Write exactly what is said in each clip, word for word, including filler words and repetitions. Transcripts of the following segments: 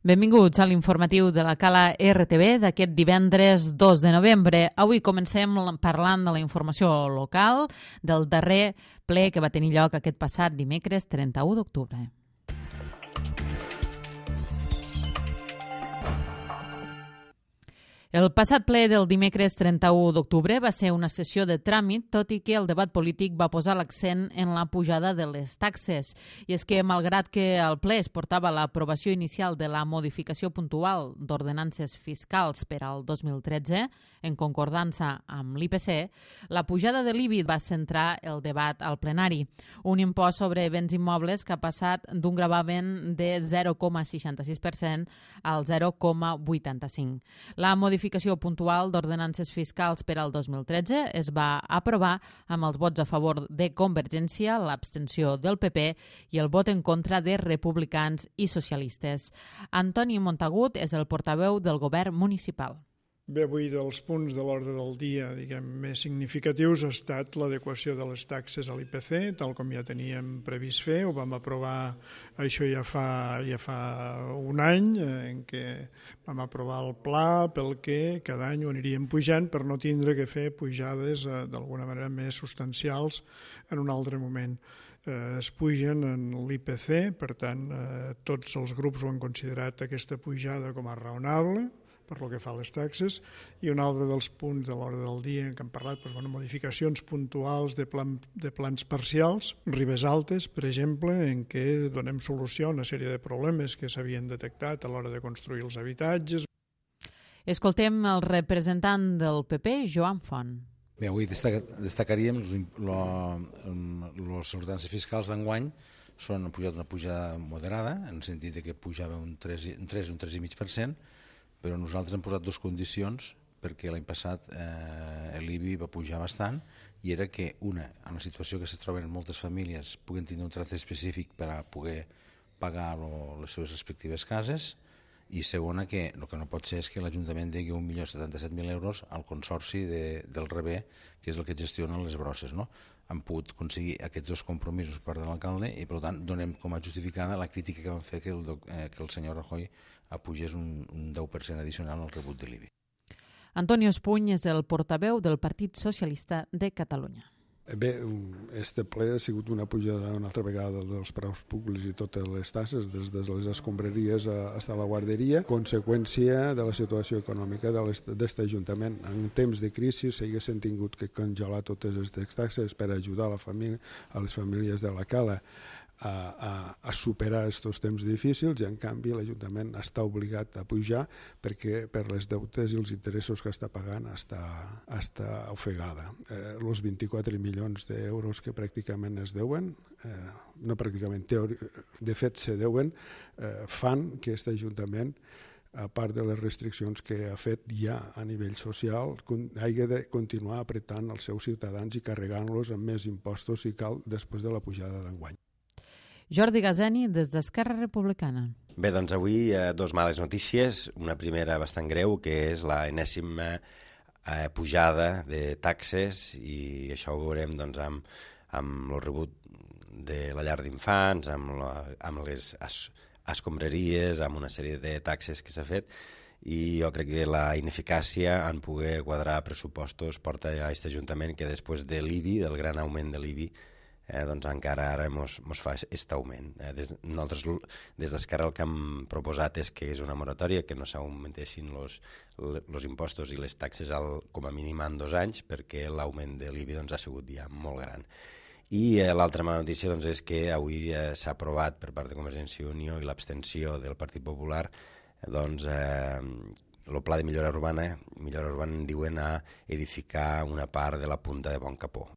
Benvinguts a l'informatiu de la Cala R T V d'aquest divendres dos de novembre. Avui comencem parlant de la informació local del darrer ple que va tenir lloc aquest passat dimecres trenta-u d'octubre. El passat ple del dimecres trenta-u d'octubre va ser una sessió de tràmit, tot i que el debat polític va posar l'accent en la pujada de les taxes. I és que, malgrat que al ple es portava l'aprovació inicial de la modificació puntual d'ordenances fiscals per al dos mil tretze, en concordança amb l'I P C, la pujada de l'I B I va centrar el debat al plenari. Un impost sobre béns immobles que ha passat d'un gravamen de zero coma seixanta-sis per cent al zero coma vuitanta-cinc. La modificació modificació puntual d'ordenances fiscals per al dos mil tretze es va aprovar amb els vots a favor de Convergència, l'abstenció del P P i el vot en contra de republicans i socialistes. Antoni Montagut és el portaveu del govern municipal. Bé, avui dels punts de l'ordre del dia diguem, més significatius ha estat l'adequació de les taxes a l'I P C, tal com ja teníem previst fer. Ho vam aprovar això ja fa, ja fa un any, en què vam aprovar el pla pel que cada any ho aniríem pujant per no tindre que fer pujades eh, d'alguna manera més substancials en un altre moment. Eh, es pugen en l'I P C, per tant, eh, tots els grups ho han considerat aquesta pujada com a raonable, per lo que fa a les taxes, i un altre dels punts de l'hora del dia en què hem parlat, doncs, bueno, modificacions puntuals de, plan, de plans parcials, Ribes Altes, per exemple, en què donem solució a una sèrie de problemes que s'havien detectat a l'hora de construir els habitatges. Escoltem el representant del P P, Joan Font. Bé, avui destacaríem les ordenances fiscals d'enguany són pujat una pujada moderada, en el sentit que pujava un tres i un tres coma cinc per cent, però nosaltres hem posat dues condicions perquè l'any passat eh, l'I B I va pujar bastant i era que, una, en la situació que se troben moltes famílies puguen tenir un tracte específic per a poder pagar lo, les seves respectives cases, i segona, que el que no pot ser és que l'Ajuntament degui un milió setanta-set mil euros al consorci de, del Rebé, que és el que gestiona les brosses, no? Han pogut aconseguir aquests dos compromisos per part de l'alcalde i, per tant, donem com a justificada la crítica que van fer que el, eh, que el senyor Rajoy apugés un, un deu per cent addicional al rebut de l'I B I. Antonio Espuny és el portaveu del Partit Socialista de Catalunya. Bé, este ple ha sigut una pujada una altra vegada dels preus públics i totes les taxes, des de les escombraries fins a la guarderia, conseqüència de la situació econòmica d'aquest Ajuntament. En temps de crisi s'haguessin tingut que congelar totes aquestes taxes per ajudar a, la família, a les famílies de la Cala a, a, a superar aquests temps difícils, i en canvi l'Ajuntament està obligat a pujar perquè per les deutes i els interessos que està pagant està, està ofegada. Eh, els vint-i-quatre milions d'euros que pràcticament es deuen, eh, no pràcticament, teori, de fet se deuen, eh, fan que aquest Ajuntament, a part de les restriccions que ha fet ja a nivell social, hagi de continuar apretant els seus ciutadans i carregant-los amb més impostos si cal després de la pujada d'enguany. Jordi Gazeni, des d'Esquerra Republicana. Bé, doncs avui eh, dos males notícies. Una primera bastant greu, que és la enèsima eh, pujada de taxes, i això ho veurem doncs, amb, amb el rebut de la llar d'infants, amb, la, amb les es, escombraries, amb una sèrie de taxes que s'ha fet, i jo crec que la ineficàcia en poder quadrar pressupostos porta a aquest Ajuntament que després de l'I B I, del gran augment de l'I B I, Eh, doncs encara ara mos, mos fa aquest augment. Eh, des, nosaltres des d'Esquerra el que hem proposat és que és una moratòria, que no s'augmentessin els impostos i les taxes al, com a mínim en dos anys, perquè l'augment de l'I B I doncs, ha sigut ja molt gran. I eh, l'altra mala notícia doncs, és que avui eh, s'ha aprovat per part de Convergència i Unió i l'abstenció del Partit Popular doncs, eh, el pla de millora urbana, millora urbana en diuen a edificar una part de la punta de Bon Capó.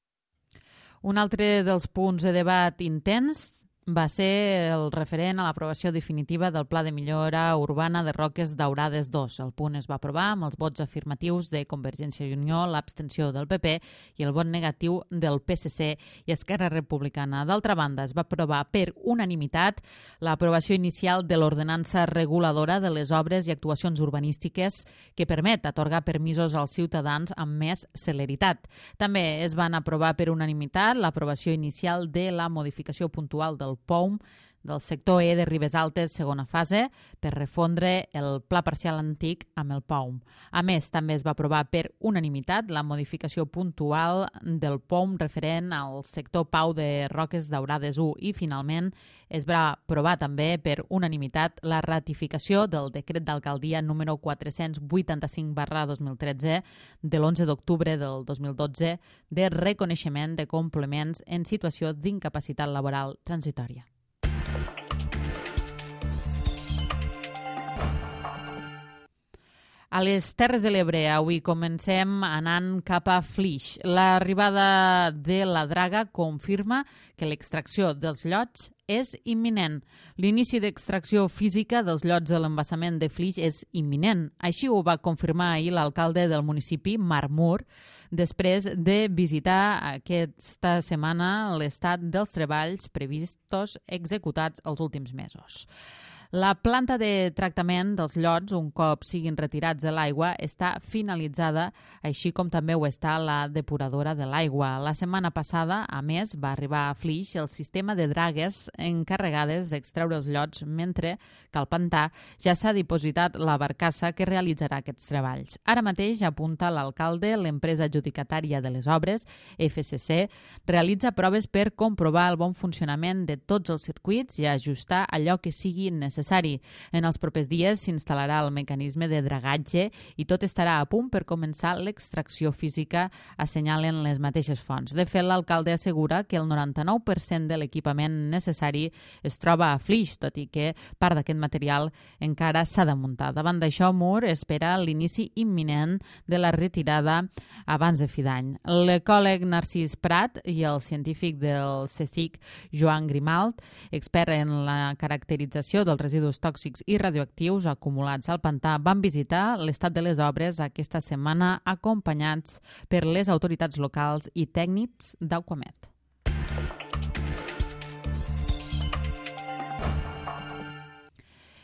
Un altre dels punts de debat intens va ser el referent a l'aprovació definitiva del Pla de Millora Urbana de Roques Daurades dos. El punt es va aprovar amb els vots afirmatius de Convergència i Unió, l'abstenció del P P i el vot negatiu del P S C i Esquerra Republicana. D'altra banda, es va aprovar per unanimitat l'aprovació inicial de l'ordenança reguladora de les obres i actuacions urbanístiques que permet atorgar permisos als ciutadans amb més celeritat. També es van aprovar per unanimitat l'aprovació inicial de la modificació puntual del P O U M del sector E de Ribes Altes, segona fase, per refondre el pla parcial antic amb el P O M. A més, també es va aprovar per unanimitat la modificació puntual del P O M referent al sector Pau de Roques Daurades u i, finalment, es va aprovar també per unanimitat la ratificació del decret d'alcaldia número quatre-cents vuitanta-cinc barra dos mil tretze de l'onze d'octubre del dos mil dotze de reconeixement de complements en situació d'incapacitat laboral transitòria. A les Terres de l'Ebre avui comencem anant cap a Flix. L'arribada de la draga confirma que l'extracció dels llots és imminent. L'inici d'extracció física dels llots de l'embassament de Flix és imminent. Així ho va confirmar ahir l'alcalde del municipi, Marc Mur, després de visitar aquesta setmana l'estat dels treballs previstos executats els últims mesos. La planta de tractament dels llots, un cop siguin retirats de l'aigua, està finalitzada, així com també ho està la depuradora de l'aigua. La setmana passada, a més, va arribar a Flix el sistema de dragues encarregades d'extreure els llots, mentre que al pantà ja s'ha dipositat la barcassa que realitzarà aquests treballs. Ara mateix, apunta l'alcalde, l'empresa adjudicatària de les obres, F C C, realitza proves per comprovar el bon funcionament de tots els circuits i ajustar allò que sigui necessari. En els propers dies s'instal·larà el mecanisme de dragatge i tot estarà a punt per començar l'extracció física, assenyalen les mateixes fonts. De fet, l'alcalde assegura que el noranta-nou per cent de l'equipament necessari es troba a Flix, tot i que part d'aquest material encara s'ha de muntar. Davant d'això, Mur espera l'inici imminent de la retirada abans de fi d'any. L'ecòleg Narcís Prat i el científic del C S I C, Joan Grimalt, expert en la caracterització dels residus tòxics i radioactius acumulats al pantà, van visitar l'estat de les obres aquesta setmana acompanyats per les autoritats locals i tècnics d'Aquamet.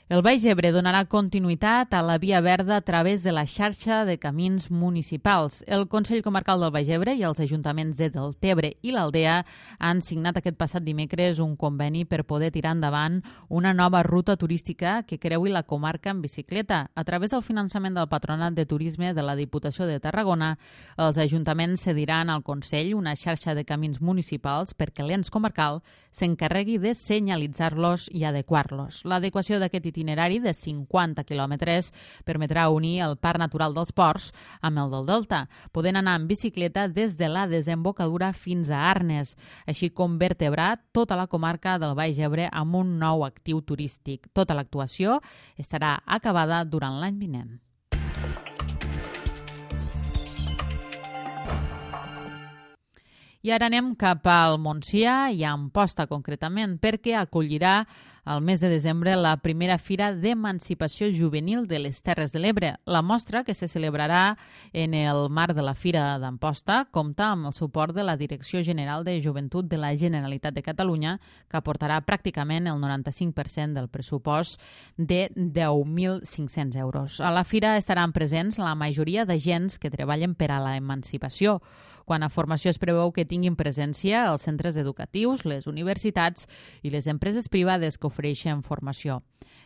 El Baix Ebre donarà continuïtat a la Via Verda a través de la xarxa de camins municipals. El Consell Comarcal del Baix Ebre i els ajuntaments de Deltebre i l'Aldea han signat aquest passat dimecres un conveni per poder tirar endavant una nova ruta turística que creui la comarca en bicicleta. A través del finançament del Patronat de Turisme de la Diputació de Tarragona, els ajuntaments cediran al Consell una xarxa de camins municipals perquè l'ens comarcal s'encarregui de senyalitzar-los i adequar-los. L'adequació d'aquest itinerari de cinquanta quilòmetres permetrà unir el Parc Natural dels Ports amb el del Delta, podent anar en bicicleta des de la desembocadura fins a Arnes, així com vertebrar tota la comarca del Baix Ebre amb un nou actiu turístic. Tota l'actuació estarà acabada durant l'any vinent. I ara anem cap al Montsià i a Amposta concretament, perquè acollirà al mes de desembre la primera Fira d'Emancipació Juvenil de les Terres de l'Ebre. La mostra, que se celebrarà en el marc de la Fira d'Amposta, compta amb el suport de la Direcció General de Joventut de la Generalitat de Catalunya, que aportarà pràcticament el noranta-cinc per cent del pressupost de deu mil cinc-cents euros. A la Fira estaran presents la majoria d'agents que treballen per a la emancipació. Quant a formació, es preveu que tinguin presència els centres educatius, les universitats i les empreses privades que ofereixen formació.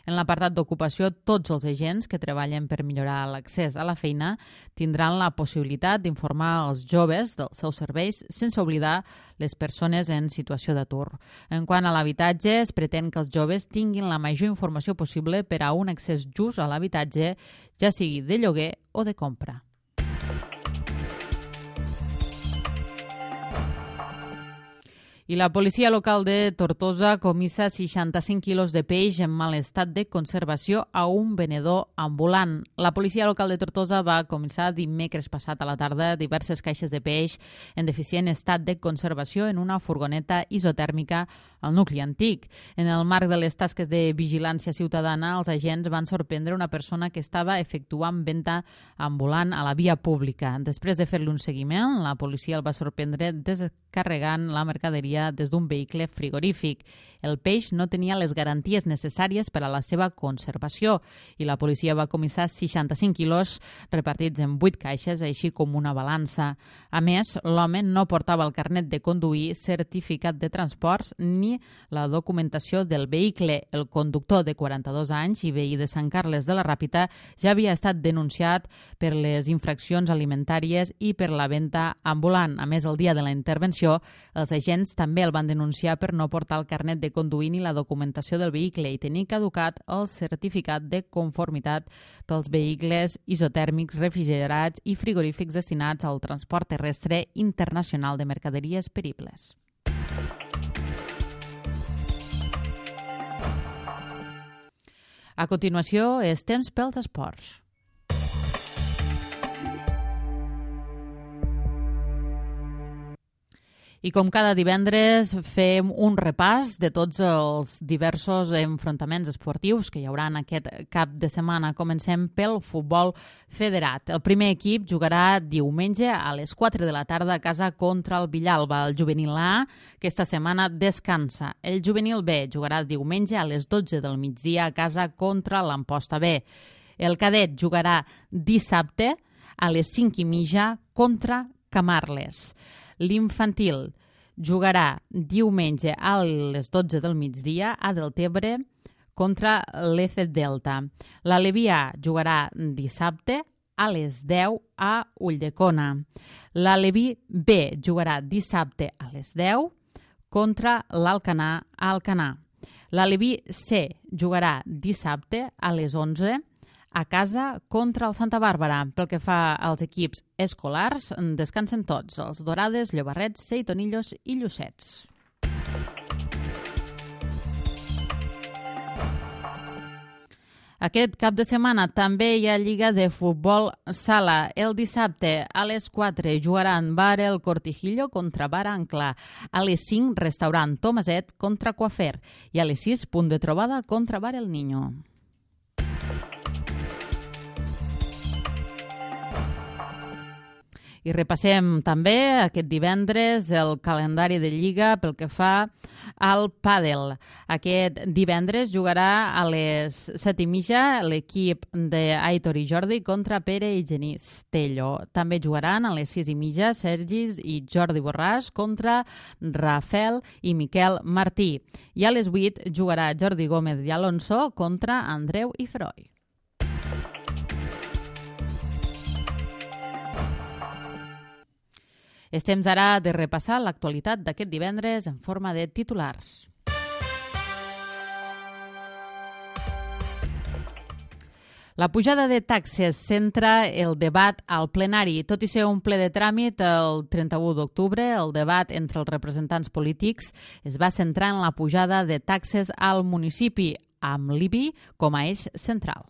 En l'apartat d'ocupació, tots els agents que treballen per millorar l'accés a la feina tindran la possibilitat d'informar els joves dels seus serveis, sense oblidar les persones en situació d'atur. En quant a l'habitatge, es pretén que els joves tinguin la major informació possible per a un accés just a l'habitatge, ja sigui de lloguer o de compra. I la policia local de Tortosa comissa seixanta-cinc quilos de peix en mal estat de conservació a un venedor ambulant. La policia local de Tortosa va comissar dimecres passat a la tarda diverses caixes de peix en deficient estat de conservació en una furgoneta isotèrmica al nucli antic. En el marc de les tasques de vigilància ciutadana, els agents van sorprendre una persona que estava efectuant venda ambulant a la via pública. Després de fer-li un seguiment, la policia el va sorprendre descarregant la mercaderia des d'un vehicle frigorífic. El peix no tenia les garanties necessàries per a la seva conservació i la policia va comissar seixanta-cinc quilos repartits en vuit caixes, així com una balança. A més, l'home no portava el carnet de conduir, certificat de transports ni tenir la documentació del vehicle. El conductor de quaranta-dos anys i veí de Sant Carles de la Ràpita ja havia estat denunciat per les infraccions alimentàries i per la venda ambulant. A més, el dia de la intervenció, els agents també el van denunciar per no portar el carnet de conduir ni la documentació del vehicle i tenir caducat el certificat de conformitat pels vehicles isotèrmics, refrigerats i frigorífics destinats al transport terrestre internacional de mercaderies peribles. A continuació, és temps pels esports. I com cada divendres fem un repàs de tots els diversos enfrontaments esportius que hi haurà en aquest cap de setmana. Comencem pel futbol federat. El primer equip jugarà diumenge a les quatre de la tarda a casa contra el Villalba. El juvenil A aquesta setmana descansa. El juvenil B jugarà diumenge a les dotze del migdia a casa contra l'Amposta B. El cadet jugarà dissabte a les cinc i mitja contra Camarles. L'infantil jugarà diumenge a les dotze del migdia a Deltebre contra l'E C Delta. L'Aleví A jugarà dissabte a les deu a Ulldecona. L'Aleví B jugarà dissabte a les deu contra l'Alcanar a Alcanar. L'Aleví C jugarà dissabte a les onze a casa contra el Santa Bàrbara. Pel que fa als equips escolars, descansen tots, els Dorades, Llobarrets, Seitonillos i Llucets. Aquest cap de setmana també hi ha Lliga de Futbol Sala. El dissabte a les quatre jugaran Bar El Cortijillo contra Bar Ancla. A les cinc, Restaurant Tomaset contra Coafer. I a les sis, Punt de Trobada contra Bar El Niño. I repassem també aquest divendres el calendari de Lliga pel que fa al pàdel. Aquest divendres jugarà a les set i mitja l'equip d'Aitor i Jordi contra Pere i Genís Tello. També jugaran a les sis i mitja Sergis i Jordi Borràs contra Rafael i Miquel Martí. I a les vuit jugarà Jordi Gómez i Alonso contra Andreu i Feroi. És temps ara de repassar l'actualitat d'aquest divendres en forma de titulars. La pujada de taxes centra el debat al plenari. Tot i ser un ple de tràmit, el trenta-u d'octubre, el debat entre els representants polítics es va centrar en la pujada de taxes al municipi, amb l'I B I com a eix central.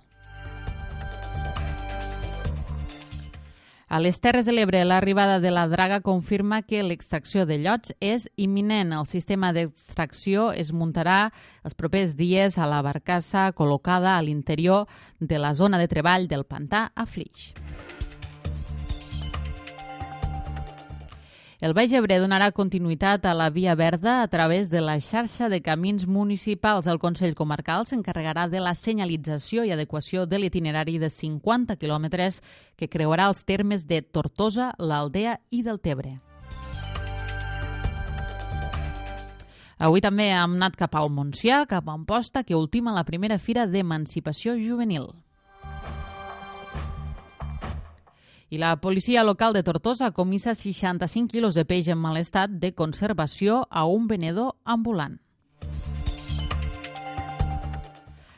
A les Terres de l'Ebre, l'arribada de la draga confirma que l'extracció de llots és imminent. El sistema d'extracció es muntarà els propers dies a la barcassa col·locada a l'interior de la zona de treball del pantà a Flix. El Baix Ebre donarà continuïtat a la Via Verda a través de la xarxa de camins municipals. El Consell Comarcal s'encarregarà de la senyalització i adequació de l'itinerari de cinquanta quilòmetres que creuarà els termes de Tortosa, l'Aldea i Deltebre. Avui també hem anat cap al Montsià, cap a Amposta, que ultima la primera fira d'emancipació juvenil. I la policia local de Tortosa comissa seixanta-cinc quilos de peix en mal estat de conservació a un venedor ambulant.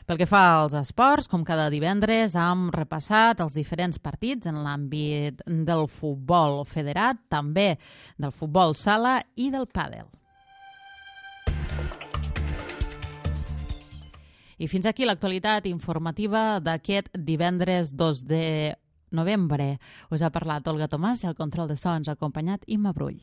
Pel que fa als esports, com cada divendres, hem repassat els diferents partits en l'àmbit del futbol federat, també del futbol sala i del pàdel. I fins aquí l'actualitat informativa d'aquest divendres dos de novembre. Us ha parlat Olga Tomàs i el control de so ens ha acompanyat Imma Brull.